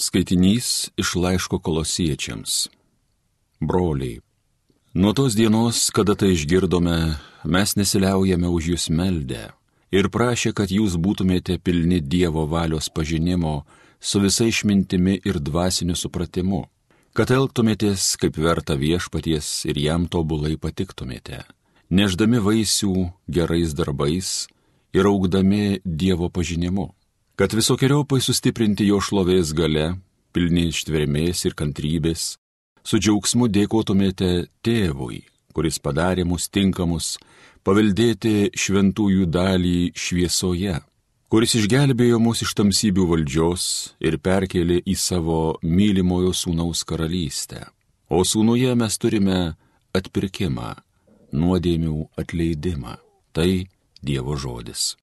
Skaitinys iš laiško Kolosiečiams. Broliai, nuo tos dienos, kada tai išgirdome, mes nesiliaujame už jūs meldę ir prašė, kad jūs būtumėte pilni Dievo valios pažinimo su visa išmintimi ir dvasiniu supratimu, kad elgtumėtės kaip verta viešpaties ir jam tobulai patiktumėte, nešdami vaisių gerais darbais ir augdami Dievo pažinimu, kad visokiojopai sustiprinti jo šlovės gale, pilni ištvermės ir kantrybės, su džiaugsmu dėkotumėte Tėvui, kuris padarė mus tinkamus paveldėti šventųjų dalį šviesoje, kuris išgelbėjo mus iš tamsybių valdžios ir perkėlė į savo mylimojo sūnaus karalystę. O sūnuje mes turime atpirkimą, nuodėmių atleidimą. Tai Dievo žodis.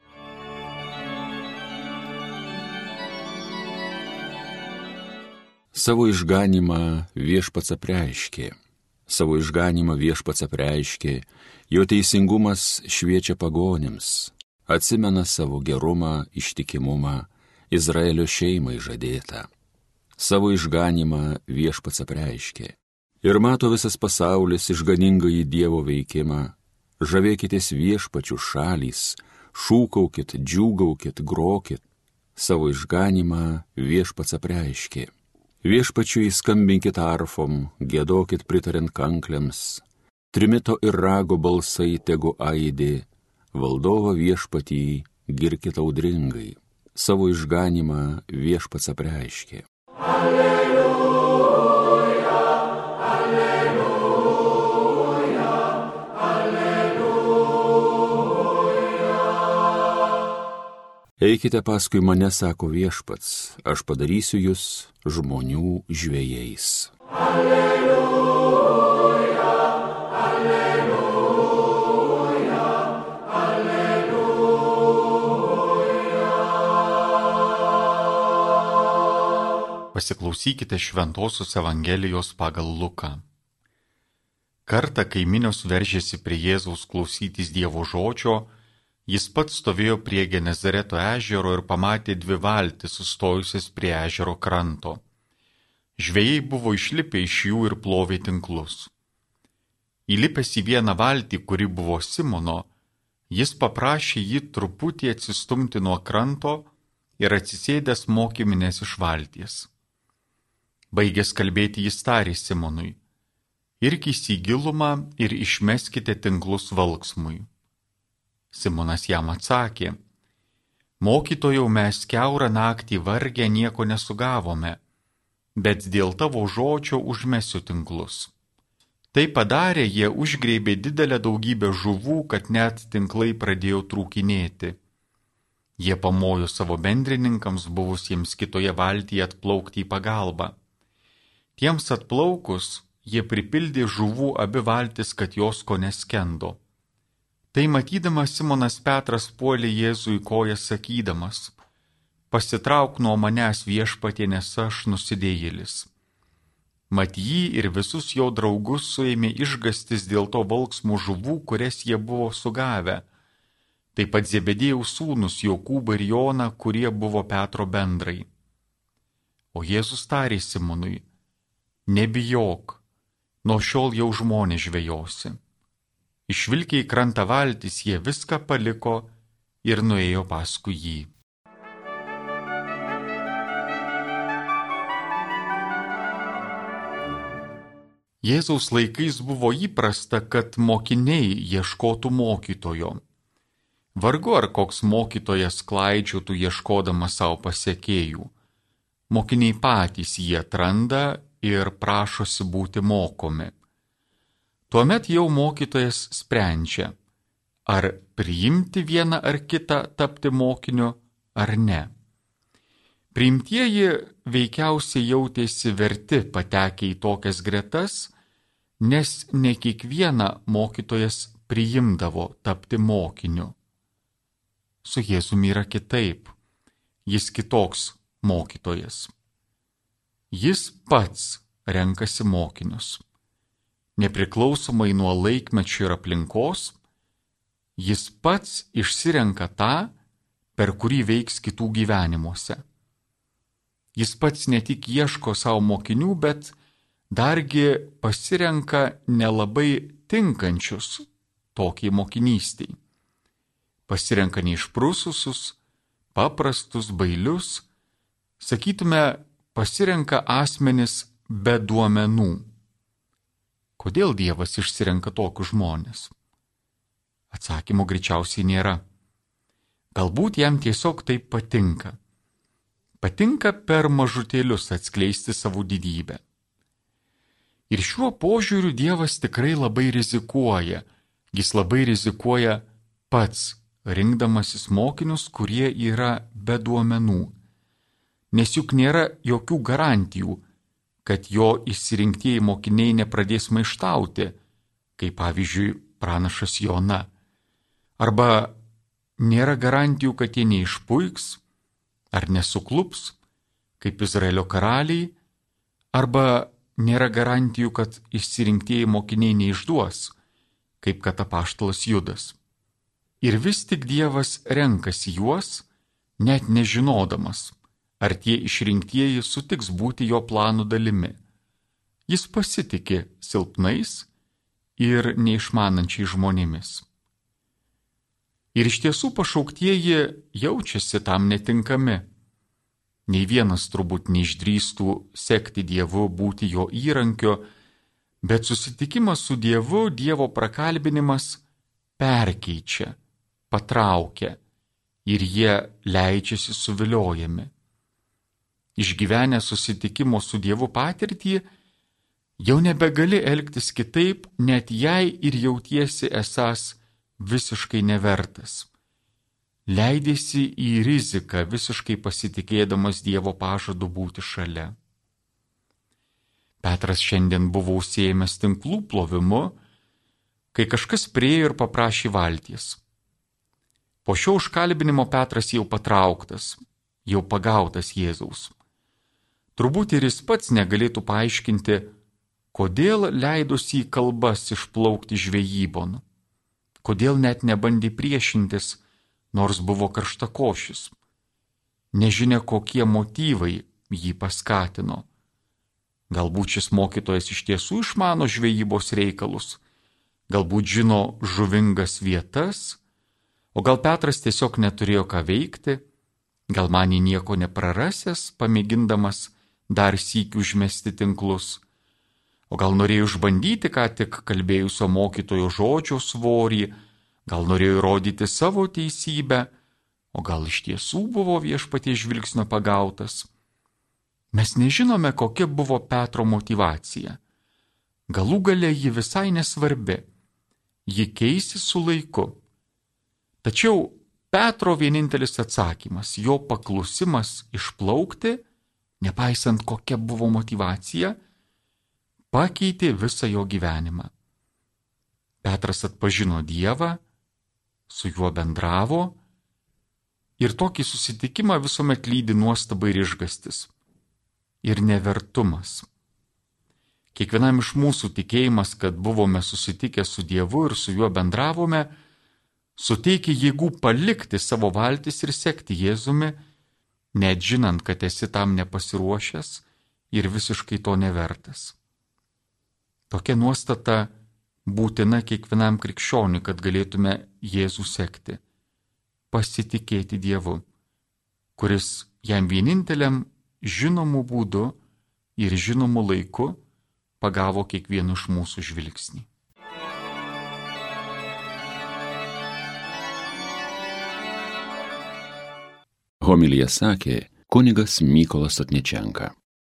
Savo išganymą viešpats apreiškė. Savo išganymą viešpats apreiškė, jo teisingumas šviečia pagonims, atsimena savo gerumą, ištikimumą, Izraelio šeimai žadėtą. Savo išganymą viešpats apreiškė. Ir mato visas pasaulis išganingąjį Dievo veikimą, žavėkitės viešpačių šalys, šūkaukit, džiūgaukit, grokit, savo išganymą viešpats apreiškė. Viešpačiui skambinkit arfom, giedokit pritariant kankliams, trimito ir rago balsai tegu aidi, valdovą viešpatį girkit audringai, savo išganymą viešpats apreiškė. Alleluja, alleluja, alleluja. Eikite paskui mane, sako viešpats, aš padarysiu jūs žmonių žvejais. Alleluja, alleluja, alleluja. Pasiklausykite Šventosios Evangelijos pagal Luką. Kartą, kai minios veržėsi prie Jėzaus klausytis Dievo žodžio, jis pats stovėjo prie Genezareto ežero ir pamatė dvi valtis sustojusias prie ežero kranto. Žvejai buvo išlipę iš jų ir plovė tinklus. Įlipęs į vieną valtį, kuri buvo Simono, jis paprašė jį truputį atsistumti nuo kranto ir atsisėdęs mokė minias iš valties. Baigęs kalbėti, jis tarė Simonui: irkis į gilumą ir išmeskite tinklus valksmui. Simonas jam atsakė: mokytojau, mes kiaurą naktį vargę nieko nesugavome, bet dėl tavo žodžio užmesiu tinklus. Tai padarė, jie užgrėbė didelę daugybę žuvų, kad net tinklai pradėjo trūkinėti. Jie pamojo savo bendrininkams buvusiems kitoje valtyje atplaukti į pagalbą. Tiems atplaukus, jie pripildė žuvų abi valtis, kad jos ko neskendo. Tai matydamas Simonas Petras puolė Jėzui kojas sakydamas: pasitrauk nuo manęs, viešpatie, nes aš nusidėjėlis. Mat jį ir visus jo draugus suėmė išgąstis dėl to valksmų žuvų, kurias jie buvo sugavę. Taip pat Zebedėjaus sūnus Jokūbą ir Joną, kurie buvo Petro bendrai. O Jėzus tarė Simonui: nebijok, nuo šiol jau žmonės žvejosi. Išvilkę į krantą valtis, jie viską paliko ir nuėjo paskui jį. Jėzaus laikais buvo įprasta, kad mokiniai ieškotų mokytojo. Vargu ar koks mokytojas klaidžiotų ieškodamas savo pasekėjų. Mokiniai patys jį atranda ir prašosi būti mokomi. Tuomet jau mokytojas sprendžia, ar priimti vieną ar kitą tapti mokiniu ar ne. Priimtieji veikiausiai jautėsi verti patekę į tokias gretas, nes ne kiekvieną mokytojas priimdavo tapti mokiniu. Su Jėzumi yra kitaip, jis kitoks mokytojas. Jis pats renkasi mokinius. Nepriklausomai nuo laikmečio ir aplinkos, jis pats išsirenka tą, per kurį veiks kitų gyvenimuose. Jis pats ne tik ieško savo mokinių, bet dargi pasirenka nelabai tinkančius tokiai mokinystiai. Pasirenka neišprususius, paprastus, bailius, sakytume, pasirenka asmenis be duomenų. Kodėl Dievas išsirenka tokius žmonės? Atsakymo greičiausiai nėra. Galbūt jam tiesiog taip patinka. Patinka per mažutėlius atskleisti savo didybę. Ir šiuo požiūriu Dievas tikrai labai rizikuoja. Jis labai rizikuoja pats, rinkdamasis mokinius, kurie yra be duomenų. Nes juk nėra jokių garantijų, kad jo išsirinktieji mokiniai nepradės maištauti, kaip pavyzdžiui pranašas Jona. Arba nėra garantijų, kad jie neišpuiks ar nesuklups, kaip Izraelio karaliai, arba nėra garantijų, kad išsirinktieji mokiniai neišduos, kaip kad apaštalas Judas. Ir vis tik Dievas renkasi juos, net nežinodamas, ar tie išrinktieji sutiks būti jo planų dalimi. Jis pasitiki silpnais ir neišmanančiai žmonėmis. Ir iš tiesų pašauktieji jaučiasi tam netinkami. Nei vienas turbūt neišdrįstų sekti Dievu, būti jo įrankiu, bet susitikimas su Dievu, Dievo prakalbinimas perkeičia, patraukia ir jie leidžiasi suviliojami. Išgyvenę susitikimo su Dievu patirtį, jau nebegali elgtis kitaip, net jei ir jautiesi esąs visiškai nevertas. Leidėsi į riziką, visiškai pasitikėdamas Dievo pažadu būti šalia. Petras šiandien buvo užsiėmęs tinklų plovimu, kai kažkas priėjo ir paprašė valties. Po šio užkalbinimo Petras jau patrauktas, jau pagautas Jėzaus. Turbūt ir jis pats negalėtų paaiškinti, kodėl leidosi į kalbas išplaukti žvejybon, kodėl net nebandė priešintis, nors buvo karštakošis. Nežinia, kokie motyvai jį paskatino. Galbūt šis mokytojas iš tiesų išmano žvejybos reikalus, galbūt žino žuvingas vietas, o gal Petras tiesiog neturėjo ką veikti, gal manė nieko neprarasęs, pamėgindamas dar sykį užmesti tinklus, o gal norėjo išbandyti ką tik kalbėjusio mokytojo žodžio svorį, gal norėjo įrodyti savo teisybę, o gal iš tiesų buvo Viešpaties žvilgsnio pagautas. Mes nežinome, kokia buvo Petro motyvacija. Galų gale ji visai nesvarbi. Ji keisis su laiku. Tačiau Petro vienintelis atsakymas, jo paklusimas išplaukti, nepaisant kokia buvo motyvacija, pakeitė visą jo gyvenimą. Petras atpažino Dievą, su juo bendravo ir tokį susitikimą visuomet lydi nuostaba ir išgastis. Ir nevertumas. Kiekvienam iš mūsų tikėjimas, kad buvome susitikę su Dievu ir su juo bendravome, suteikia jėgų palikti savo valtis ir sekti Jėzumi, net žinant, kad esi tam nepasiruošęs ir visiškai to nevertas. Tokia nuostata būtina kiekvienam krikščioniui, kad galėtume Jėzų sekti, pasitikėti Dievu, kuris jam vieninteliam žinomu būdu ir žinomu laiku pagavo kiekvienu iš mūsų žvilgsnį. Homiliją sakė kunigas Mykolas Otničenka.